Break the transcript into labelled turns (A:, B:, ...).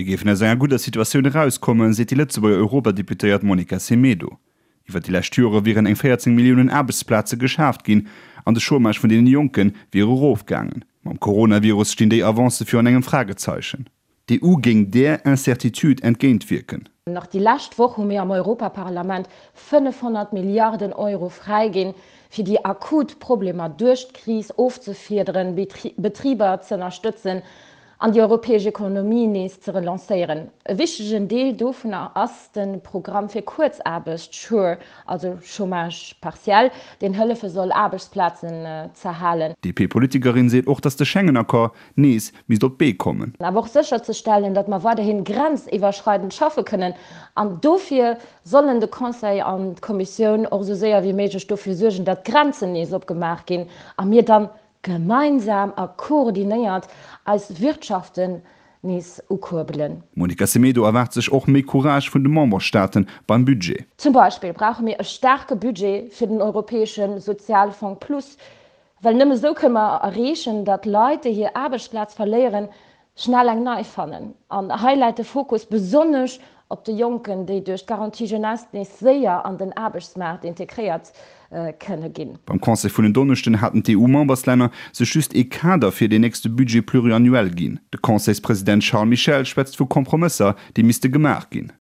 A: Mir géifen aus enger gudder Situatioun erauskommen, seet déi Lëtzebuerger Europadeputéiert Monica Semedo. Iwwer déi lescht Jore wieren eng 14 Milliounen Aarbechtsplaze geschaaft ginn an de Chômage vun deene Jonke wier erofgaangen. Mam Coronavirus stinn déi Avancë virun engem Fragezeichen. D'EU géing där Incertitude entgéintwierken.
B: Nach déi lescht Woch hu mir am Europaparlament 500 Milliarden Euro fräiginn, fir déi akut Problemer duerch d'Kris ofzefiederen, Betriber z'ënnerstëtzen an déi europäesch Ekonomie nees ze relancéieren. E wichtegen Deel dovunner ass de Programm fir Kuerzaarbecht, Sure, also Chômage partiel, deen hëllefe soll, Aarbechtsplazen z'erhalen.
A: D'DP-Politikerin seet och, datt de Schengen-Accord nees misst op d'Bee kommen.
B: Awer och sécherzestellen, datt mer weiderhi grenziwwerschreidend schaffe kënnen. An dofir sollen de Conseil an d'Kommissioun och esou séier wéi méiglech dofir suergen, datt d'Grenzen nees opgemaach ginn a mir dann gemeinsam a koordinéiert eis Wirtschaften nees ukuerbelen.
A: D'Monica Semedo erwaart sech och méi Courage vun de Memberstaate beim Budget.
B: Zum Beispill brauche mir e staarke Budget fir den Europäesche Sozialfong Plus, well nëmme sou kënne mer erreechen, datt Leit, déi hir Aarbechtsplaz verléieren, schnell eng nei fannen. An hei läit de Fokus besonnesch op de Jonken, déi duerch d'Garantie Jeunesse nees séier an den Aarbechtsmaart integréiert kënne ginn.
A: Beim Conseil vun en Donneschden haten d'EU-Memberslänner sech just ee Kader fir deen nächste Budget pluriannuel ginn. De Conseilspresident Charles Michel schwätzt vu Kompromësser, déi misste gemaach ginn.